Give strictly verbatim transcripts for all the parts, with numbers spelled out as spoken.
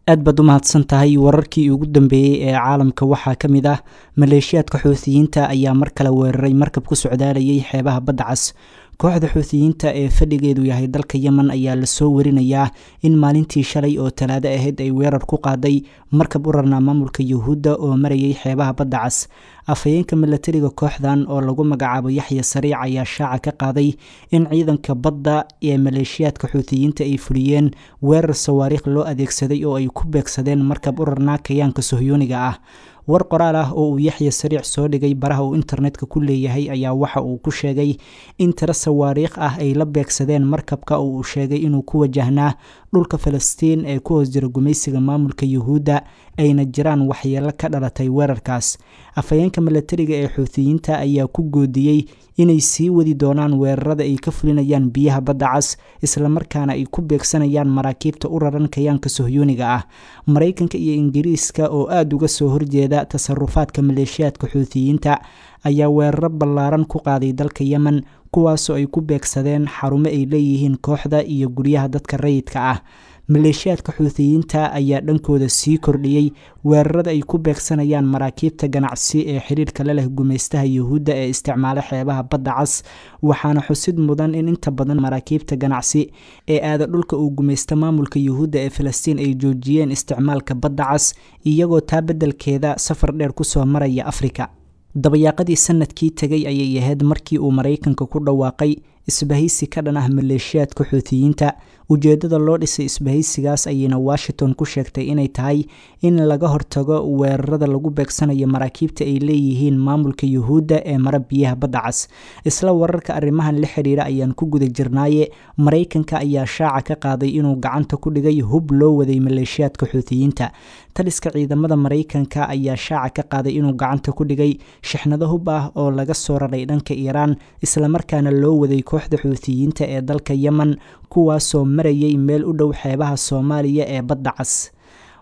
Aad baad u mahadsan tahay. Wararkii ugu dambeeyey ee caalamka waxaa ka mid ah maleeshiyaadka Xuutiyiinta ayaa mar kale weeraray markab ku socdaalayay xeebaha Badda Cas. Kooxda Xuutiyiinta ee fadhigeedu yahay dalka Yemen ayaa lasoo warinayaa in maalintii shalay oo Talaado ahayd ay weerar ku qaaday markab u rarnaa maamulka Yuhuudda oo marayay xeebaha Badda Cas. Afhayeenka milatariga kooxdan oo lagu magacaabo Yaxya Sariic ayaa shaaca ka qaaday in ciidanka badda ee maleeshiyaadka Xuutiyiinta ay fuliyeen weerar sawaariikh loo adeegsaday oo ay ku beegsadeen markab u rarnaa kayaanka Sohyooniga ah. War qoraal ah oo uu Yaxya Sariic soo dhigay baraha uu internetka ku leeyahay ayaa waxa uu ku sheegay in tiro sawaariikh ah ay la beegsadeen markabka oo uu sheegay inuu ku wajahnaa dhulka Falastiin ee ku hoos jira gumaysiga maamulka Yuhuudda, ayna jiraan waxyeelo ka dhalatay weerarkaas. Afhayeenka milatariga ee Xuutiyiinta ayaa ku goodiyey inay sii wadi doonaan weerarada ay ka fulinayaan biyaha Badda Cas, islamarkaana ay ku beegsanayaan maraakiibta u raran kayaanka Sohyooniga ah. Maraykanka iyo Ingiriiska oo aada uga soo horjeeda tasarufaadka maleeshiyaadka Xuutiyiinta ayaa weeraro ballaaran ku qaaday dalka Yemen, kuwaasoo ay ku beegsadeen xarumo ay leeyihiin kooxda iyo guryaha dadka rayidka ah. Maleeshiyaadka Xuutiyiinta ayaa dhankooda sii kordhiyey weerarada ay ku beegsanayaan maraakiibta ganacsi ee xiriirka la leh gumaystaha Yuhuudda ee isticmaala xeebaha Badda Cas, waxaana xusid mudan in inta badan maraakiibta ganacsi ee aada dhulka uu gumaysta maamulka Yuhuudda ee Falastiin ay joojiyeen isticmaalka Badda Cas, iyagoo taa beddelkeeda safar dheer kusoo maraya Afrika. Dabayaaqadii sanadkii tegay ayay ahayd markii uu Maraykanka ku dhawaaqay isbahaysi ka dhan ah maleeshiyaadka Xuutiyiinta. Ujeedada loo dhisay isbahaysigaas ayayna Washington ku sheegtay inay tahay in laga hortago weerarada lagu beegsanayo maraakiibta ay leeyihiin maamulka Yuhuudda ee mara biyaha Badda Cas. Isla wararka arrimahan la xiriira ayaan ku guda jirnaaye, Maraykanka ayaa shaaca ka qaaday inuu gacanta ku dhigay hub loo waday maleeshiyaadka Xuutiyiinta. Taliska ciidamada Maraykanka ayaa shaaca ka qaaday inuu gacanta ku dhigay shixnado hub ah oo laga soo raray dhanka Iiraan, islamarkaana loo waday kooxda Xuutiyiinta ee dalka Yemen, kuwaasoo marayay meel u dhow xeebaha Soomaaliya ee Badda Cas.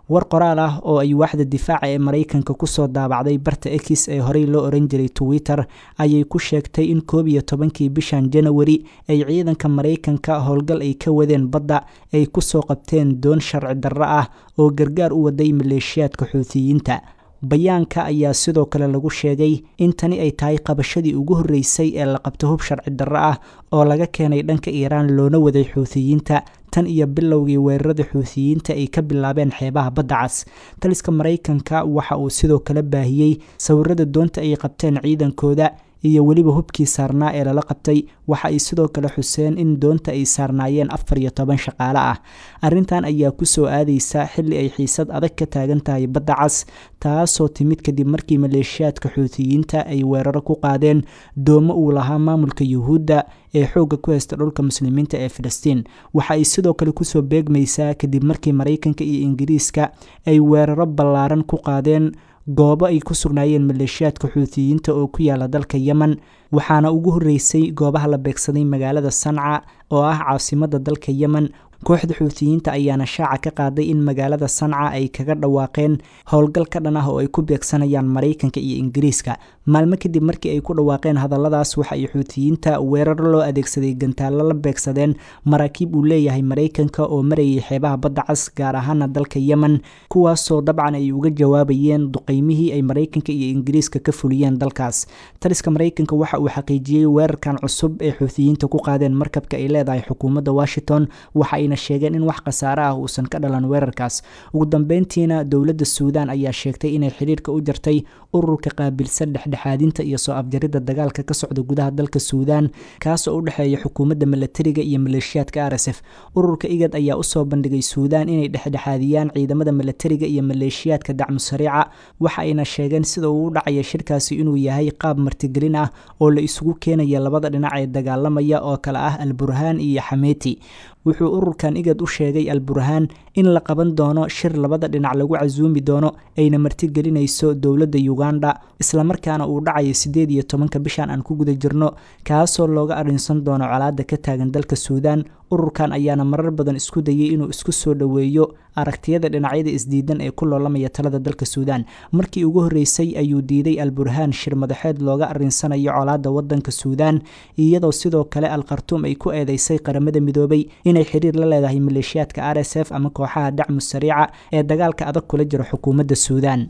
War qoraal ah oo ay waaxda difaaca ee Maraykanka kusoo daabacday barta X ee horey loo oran jiray Twitter ayay ku sheegtay in koob iyo tobankii bishan Janawari ay ciidanka Maraykanka howlgal ay ka wadeen badda ay kusoo qabteen doon sharci darro ah oo gargaar u waday maleeshiyaadka Xuutiyiinta. Bayaanka ayaa sidoo kale lagu sheegay in tani ay tahay qabashadii ugu horreysay ee la qabto hub sharci darro ah oo laga keenay dhanka Iiraan loona waday Xuutiyiinta tan iyo bilowgii weerarada Xuutiyiinta ay ka bilaabeen xeebaha Badda Cas. Taliska Maraykanka waxa uu sidoo kale baahiyey sawirada doonta ay qabteen ciidankooda iyo weliba hubkii saarnaa ee lala qabtay. Waxa ay sidoo kale xuseen in doonta ay saarnaayeen afar iyo toban shaqaale ah. Arrintan ayaa kusoo aadeysa xilli ay xiisad adag ka taagan tahay Badda Cas, taasoo timid kadib markii maleeshiyaadka Xuutiyiinta ay weeraro ku qaadeen doomo uu lahaa maamulka Yuhuudda ee xoogga ku haysta dhulka Muslimiinta ee Filistiin. Waxa ay sidoo kale kusoo beegmaysaa kadib markii Maraykanka iyo Ingiriiska ay weeraro ballaaran ku qaadeen goobo ay ku sugnaayeen maleeshiyaadka Xuutiyiinta oo ku yaala dalka Yemen, waxaana ugu horreysay goobaha la beegsaday magaalada Sanca oo ah caasimadda dalka Yemen. Kooxda Xuutiyiinta ayaana shaaca ka qaaday in magaalada Sanca ay kaga dhawaaqeen howlgal ka dhan ah oo ay ku beegsanayaan Maraykanka iyo Ingiriiska. Maalmo kadib markii ay ku dhawaaqeen hadalladaas, waxa ay Xuutiyiinta weeraro loo adeegsaday gantaallo la beegsadeen maraakiib uu leeyahay Maraykanka oo marayay xeebaha Badda Cas, gaar ahaana dalka Yemen, kuwaasoo dabcan ay uga jawaabayeen duqeymihii ay Maraykanka iyo Ingiriiska ka fuliyeen dalkaas. Taliska Maraykanka waxa uu xaqiijiyey weerarkan cusub ee Xuutiyiinta ku qaadeen markabka ay leedahay xukuumadda Washington, waxa ayna sheegeen in wax khasaare ah uusan ka dhalan weerarkaas. Ugu dambeyntiina, dowladda Suudaan ayaa sheegtay inay xiriirka u jartay ururka qaabilsan dhexdhexaadinta iyo soo afjaridda dagaalka ka socda gudaha dalka Suudaan, kaasoo u dhexeeya xukuumadda milatariga iyo maleeshiyaadka R S F. Ururka IGAD ayaa usoo bandhigay Suudaan inay dhexdhexaadiyaan ciidamada milatariga iyo maleeshiyaadka Dacmu Sariica, waxa ayna sheegeen sida uu u dhacaya shirkaasi inuu yahay qaab martigelin ah oo la isugu keenaya labada dhinac ee dagaalamaya oo kale ah Al Burhaan iyo Xameeti. Wuxuu ururkan IGAD u sheegay Al Burhaan in la qaban doono shir labada dhinac lagu casuumi doono, ayna martigelinayso dowladda Uganda, islamarkaana uu dhacayo sideed iyo tobanka bishan aan ku guda jirno, kaasoo looga arrinsan doono colaadda ka taagan dalka Suudaan. Ururkan ayaana marar badan isku dayay inuu isku soo dhoweeyo aragtiyada dhinacyada isdiidan ee ku loolamaya talada dalka Suudaan. Markii ugu horreysay ayuu diiday Al Burhaan shir madaxeed looga arrinsanayo colaadda wadanka Suudaan, iyadoo sidoo kale Al Khartuum ay ku eedeysay Qaramada Midoobay inay xiriir la leedahay maleeshiyaadka R S F ama kooxaha dacmu sariica ee dagaalka adag kula jira xukuumadda Suudaan.